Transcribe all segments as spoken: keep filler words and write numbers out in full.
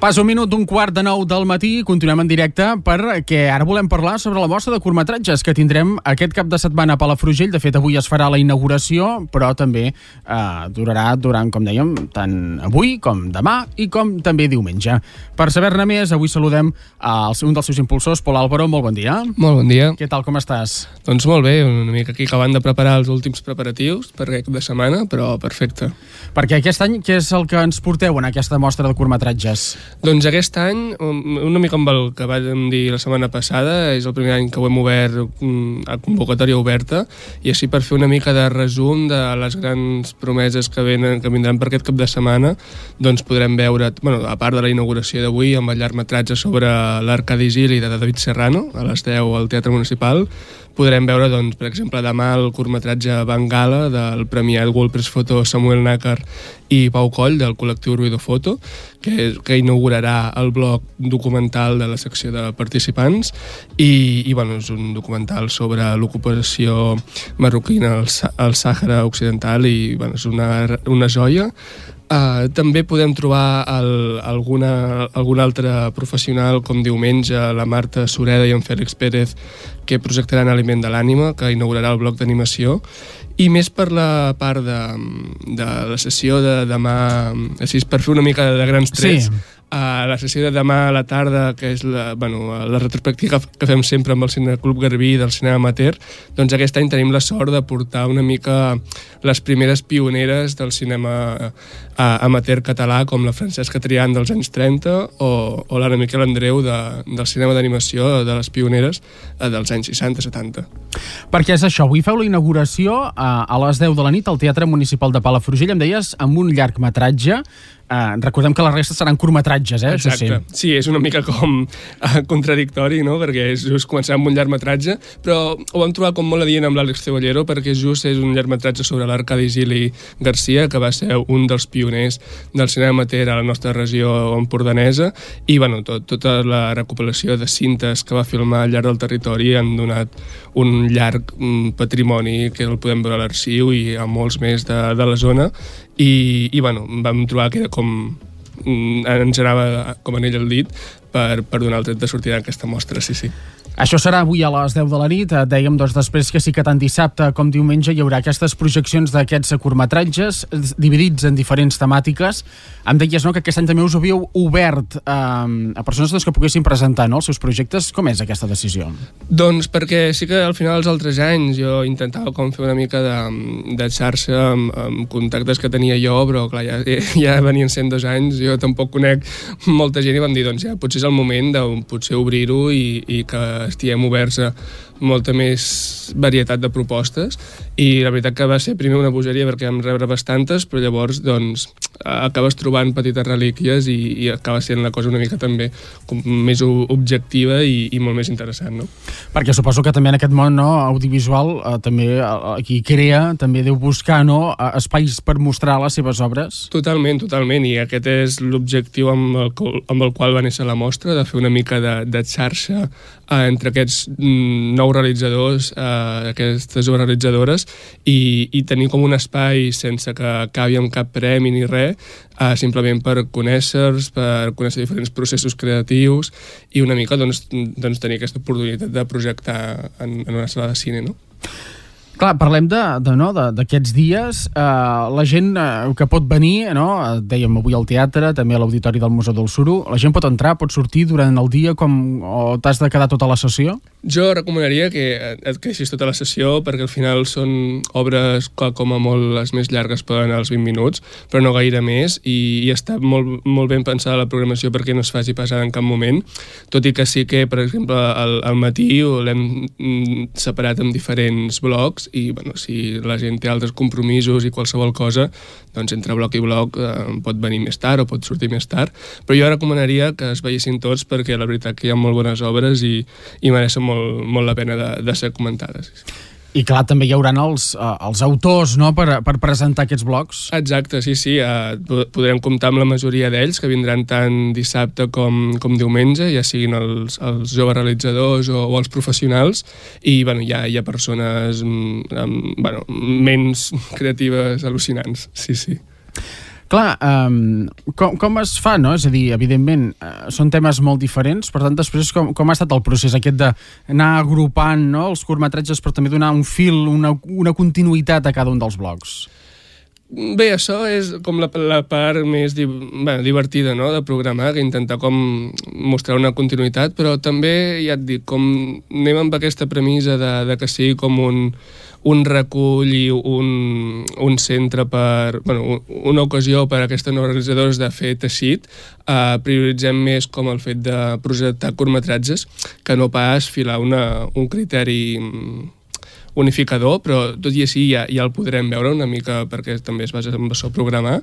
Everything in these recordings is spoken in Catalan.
Pas un minut d'un quart de nou del matí, continuem en directe perquè ara volem parlar sobre la mostra de curtmetratges que tindrem aquest cap de setmana a Palafrugell. De fet, avui es farà la inauguració, però també eh, durarà durant, com dèiem, tant avui com demà i com també diumenge. Per saber-ne més, avui saludem a un dels seus impulsors, Pol Álvaro. Molt bon dia. Molt bon dia. Què tal, com estàs? Doncs molt bé, una mica aquí acabant de preparar els últims preparatius per aquest cap de setmana, però perfecte. Perquè aquest any, què és el que ens porteu en aquesta mostra de curtmetratges? Doncs aquest any, una mica amb el que vam dir la setmana passada, és el primer any que ho hem obert a convocatòria oberta, i així per fer una mica de resum de les grans promeses que venen, que vindran per aquest cap de setmana, doncs podrem veure, bueno, a part de la inauguració d'avui, amb el llargmetratge sobre l'Arcadi Gili de David Serrano, a les deu al Teatre Municipal, podrem veure, doncs, per exemple, demà el curtmetratge Bengala del premiat World Press Photo Samuel Nácar i Pau Coll del col·lectiu Ruido Foto, que, que inaugurarà el bloc documental de la secció de participants i, i bueno, és un documental sobre l'ocupació marroquina al, al Sàhara Occidental i bueno, és una, una joia. Uh, també podem trobar el, alguna, algun altre professional com diumenge, la Marta Sureda i en Fèlix Pérez, que projectaran Aliment de l'Ànima, que inaugurarà el bloc d'animació. I més per la part de, de la sessió de demà, així per fer una mica de grans trets, sí. A la sessió de demà a la tarda, que és la, bueno, la retrospectiva que fem sempre amb el Cineclub Garbí del cinema amateur, doncs aquest any tenim la sort de portar una mica les primeres pioneres del cinema amateur català, com la Francesca Triant dels anys trenta o, o l'Anna Miquel Andreu de, del cinema d'animació de les pioneres dels anys seixanta setanta. Perquè és això, avui feu la inauguració a, a les deu de la nit al Teatre Municipal de Palafrugell, em deies, amb un llargmetratge. Uh, recordem que la resta seran curtmetratges, eh? Exacte. Això sí. Sí, és una mica com uh, contradictori, no? Perquè és just començar amb un llargmetratge, però ho vam trobar com molt adient amb l'Àlex Cebollero, perquè just és un llargmetratge sobre l'Arcadi Gili Garcia, que va ser un dels pioners del cinema amateur a la nostra regió empordanesa, i bueno, tot, tota la recopilació de cintes que va filmar al llarg del territori han donat un llarg um, patrimoni que el podem veure a l'arxiu i a molts més de, de la zona, i, i bueno, vam trobar que era com ens anava com anell al dit per, per donar el tret de sortida d'aquesta mostra, sí, sí. Això serà avui a les deu de la nit. Dèiem doncs després que sí que tant dissabte com diumenge hi haurà aquestes projeccions d'aquests curtmetratges dividits en diferents temàtiques. Em deies, no?, que aquest any també us havíeu obert eh, a persones doncs, que poguessin presentar, no?, els seus projectes. Com és aquesta decisió? Doncs perquè sí que al final els altres anys jo intentava com fer una mica de, de xarxa amb, amb contactes que tenia jo, però clar, ja, ja venien sent dos anys, jo tampoc conec molta gent i vam dir, doncs ja, potser és el moment de potser obrir-ho i, i que estiguem oberts a molta més varietat de propostes, i la veritat que va ser primer una bogeria perquè vam rebre bastantes, però llavors doncs acabes trobant petites relíquies i, i acaba sent la cosa una mica també com més objectiva i, i molt més interessant, no? Perquè suposo que també en aquest món, no, audiovisual eh, també eh, qui crea també deu buscar, no, espais per mostrar les seves obres. Totalment, totalment, i aquest és l'objectiu amb el, amb el qual va néixer la mostra, de fer una mica de, de xarxa eh, entre aquests mm, nous realitzadors, eh, aquestes obres realitzadores, i, i tenir com un espai sense que acabi amb cap premi ni res, eh, simplement per conèixer-los, per conèixer diferents processos creatius i una mica doncs, doncs tenir aquesta oportunitat de projectar en, en una sala de cine, no? Clar, parlem de, de, no, d'aquests dies, eh, la gent eh, que pot venir, no, dèiem avui al teatre, també a l'Auditori del Museu del Suro, la gent pot entrar, pot sortir durant el dia com, o t'has de quedar tota la sessió? Jo recomanaria que et queixis tota la sessió, perquè al final són obres que com a molt les més llargues poden anar als vint minuts, però no gaire més, i, i està molt, molt ben pensada la programació perquè no es faci pesada en cap moment, tot i que sí que, per exemple, al, al matí l'hem separat en diferents blocs, i bueno, si la gent té altres compromisos i qualsevol cosa, doncs entre bloc i bloc eh, pot venir més tard o pot sortir més tard, però jo recomanaria que es veiessin tots perquè la veritat que hi ha molt bones obres i, i mereixen molt, molt la pena de, de ser comentades. I clar, també hi haurà els, uh, els autors, no?, per, per presentar aquests blocs. Exacte, sí, sí. Uh, podrem comptar amb la majoria d'ells, que vindran tant dissabte com, com diumenge, ja siguin els, els joves realitzadors o, o els professionals, i bueno, hi ha, hi ha persones amb, bueno, ments creatives al·lucinants, sí, sí. Clar, um, com, com es fa, no? És a dir, evidentment, uh, són temes molt diferents, per tant, després com, com ha estat el procés aquest d'anar agrupant, no?, els curtmetratges, però també donar un fil, una, una continuïtat a cada un dels blocs? Bé, això és com la, la part més di, bé, divertida, no?, de programar, que intentar com mostrar una continuïtat, però també, ja et dic, com anem amb aquesta premissa de, de que sigui com un, un recull i un, un centre per... Bueno, una ocasió per a aquests organitzadors de fer teixit, eh, prioritzem més com el fet de projectar curtmetratges que no pas filar una, un criteri unificador, però tot i així ja, ja el podrem veure una mica perquè també es basa en això programar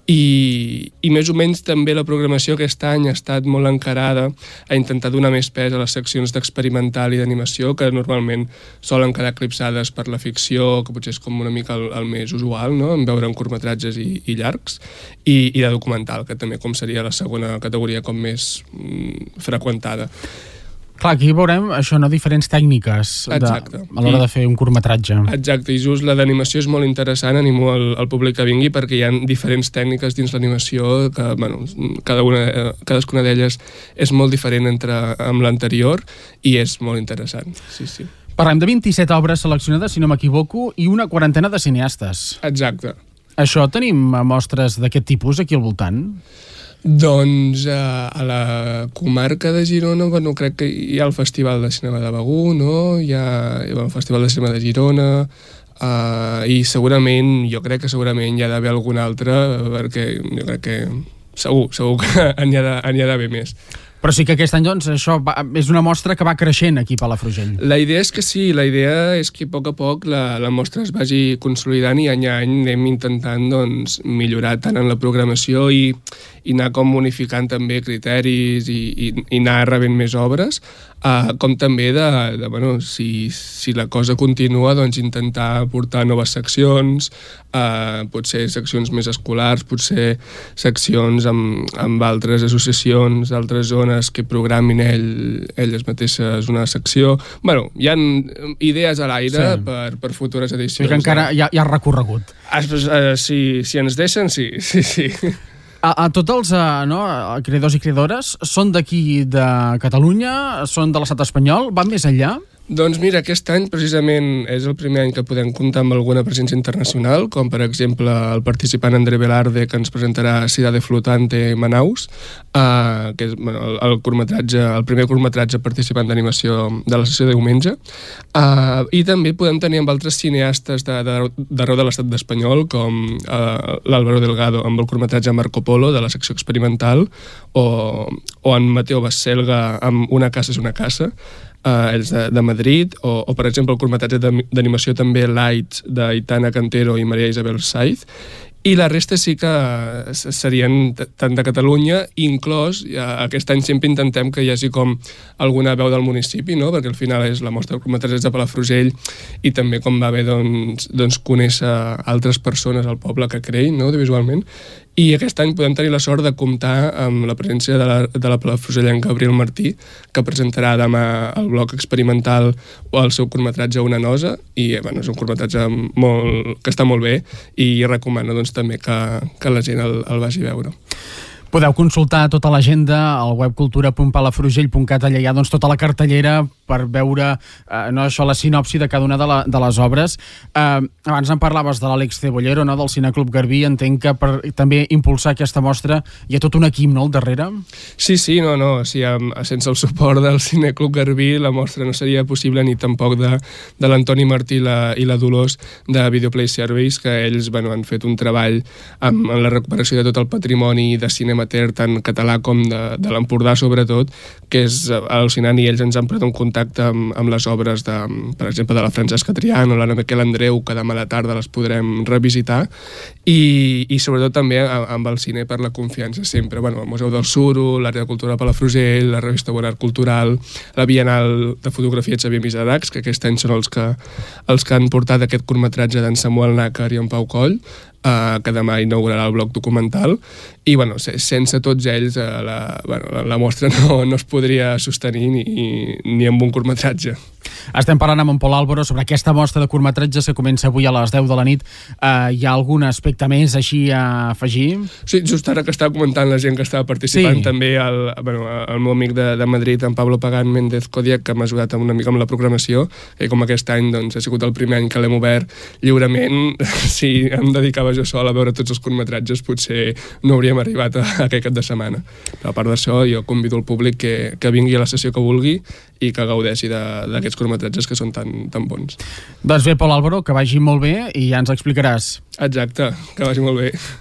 i, i més o menys també la programació aquest any ha estat molt encarada a intentar donar més pes a les seccions d'experimental i d'animació que normalment solen quedar eclipsades per la ficció, que potser és com una mica el, el més usual, no?, en veure en curtmetratges i, i llargs, i, i de documental, que també com seria la segona categoria com més mm, freqüentada. Clar, aquí veurem això, no?, diferents tècniques de, a l'hora de fer un curtmetratge. Exacte, i just la d'animació és molt interessant, animo el, el públic que vingui perquè hi ha diferents tècniques dins l'animació que, bueno, cada una, cadascuna d'elles és molt diferent entre amb l'anterior i és molt interessant, sí, sí. Parlem de vint-i-set obres seleccionades, si no m'equivoco, i una quarantena de cineastes. Exacte. Això, tenim mostres d'aquest tipus aquí al voltant? Doncs eh, a la comarca de Girona, bueno, crec que hi ha el Festival de Cinema de Begur, no? Hi ha el Festival de Cinema de Girona, eh, i segurament, jo crec que segurament hi ha d'haver algun altre, perquè jo crec que segur, segur que n'hi ha d'haver més. Però sí que aquest any, doncs, això va, és una mostra que va creixent aquí a Palafrugell. La idea és que sí, la idea és que a poc a poc la, la mostra es vagi consolidant i any a any anem intentant, doncs, millorar tant en la programació i, i anar com unificant també criteris i, i, i anar rebent més obres, uh, com també de, de bueno, si, si la cosa continua, doncs intentar portar noves seccions, uh, potser seccions més escolars, potser seccions amb, amb altres associacions d'altres zones que programin ell, elles mateixes una secció. Bueno, hi ha idees a l'aire sí. per, per futures edicions. I que encara hi ha, hi ha recorregut. Ah, uh, si, si ens deixen, sí, sí, sí. A, a tots els uh, no, creadors i creadores són d'aquí de Catalunya, són de l'estat espanyol, van més enllà? Doncs mira, aquest any precisament és el primer any que podem comptar amb alguna presència internacional, com per exemple el participant André Velarde, que ens presentarà Cidade Flotante Manaus, uh, que és bueno, el, el, curtmetratge, el primer curtmetratge participant d'animació de la sessió de diumenge, uh, i també podem tenir amb altres cineastes d'arreu de, de, de l'estat espanyol, com uh, l'Álvaro Delgado amb el curtmetratge Marco Polo de la secció experimental, o, o en Mateo Baselga amb Una casa és una casa, Uh, ells de, de Madrid, o, o per exemple el curtmetratge d'animació també Lights d'Aitana Cantero i Maria Isabel Saiz, i la resta sí que serien tant de Catalunya, inclòs ja, aquest any sempre intentem que hi hagi com alguna veu del municipi, no? Perquè al final és la mostra de curtmetratges de Palafrugell i també com va bé doncs, doncs conèixer altres persones al poble que creïn, no? Audiovisualment. I aquest any podem tenir la sort de comptar amb la presència de la, de la palafrugellenca Gabriel Martí, que presentarà demà el bloc experimental o el seu curtmetratge Una nosa, i bueno, és un curtmetratge molt, que està molt bé i recomano doncs, també que, que la gent el, el vagi a veure. Podeu consultar tota l'agenda al web cultura punt palafrugell punt cat, allà hi ha doncs, tota la cartellera per veure eh, no, això, la sinopsi de cada una de, la, de les obres. Eh, abans en parlaves de l'Àlex Cebollero, no, del Cineclub Garbí. Entenc que per també impulsar aquesta mostra hi ha tot un equip, no, al darrere? Sí, sí, no, no. Sí, sense el suport del Cineclub Garbí la mostra no seria possible, ni tampoc de, de l'Antoni Martí i la, i la Dolors de Videoplay Service, que ells bueno, han fet un treball amb, en la recuperació de tot el patrimoni de cinema tant català com de, de l'Empordà sobretot, que és al·lucinant, i ells ens han posat en contacte amb, amb les obres de, per exemple, de la Francesca Trian o la Miquel Andreu, que demà a la tarda les podrem revisitar, i, i sobretot també amb el cine per la confiança sempre, bueno, el Museu del Suro, l'Àrea de Cultura de Palafrugell, la revista Bonart Cultural, la Bienal de Fotografia Xavier Miseracs, que aquest any són els que, els que han portat aquest curtmetratge d'en Samuel Nàcar i en Pau Coll, Uh, que demà inaugurarà el bloc documental, i bueno, sense tots ells uh, la, bueno, la, la mostra no, no es podria sostenir ni, ni amb un curtmetratge. Estem parlant amb en Pol Álvaro sobre aquesta mostra de curtmetratges que comença avui a les deu de la nit. Uh, hi ha algun aspecte més així a afegir? Sí, just ara que estava comentant la gent que estava participant, sí. també el, bueno, el meu amic de, de Madrid, en Pablo Pagán Méndez Kodiak, que m'ha ajudat una mica amb la programació, i com aquest any doncs, ha sigut el primer any que l'hem obert lliurement, si em dedicava jo sol a veure tots els curtmetratges potser no hauríem arribat a, a aquest cap de setmana. Però a part d'això jo convido el públic que, que vingui a la sessió que vulgui i que gaudeixi d'aquests curtmetratges que són tan, tan bons. Doncs bé, Pol Álvaro, que vagi molt bé i ja ens explicaràs. Exacte, que vagi molt bé.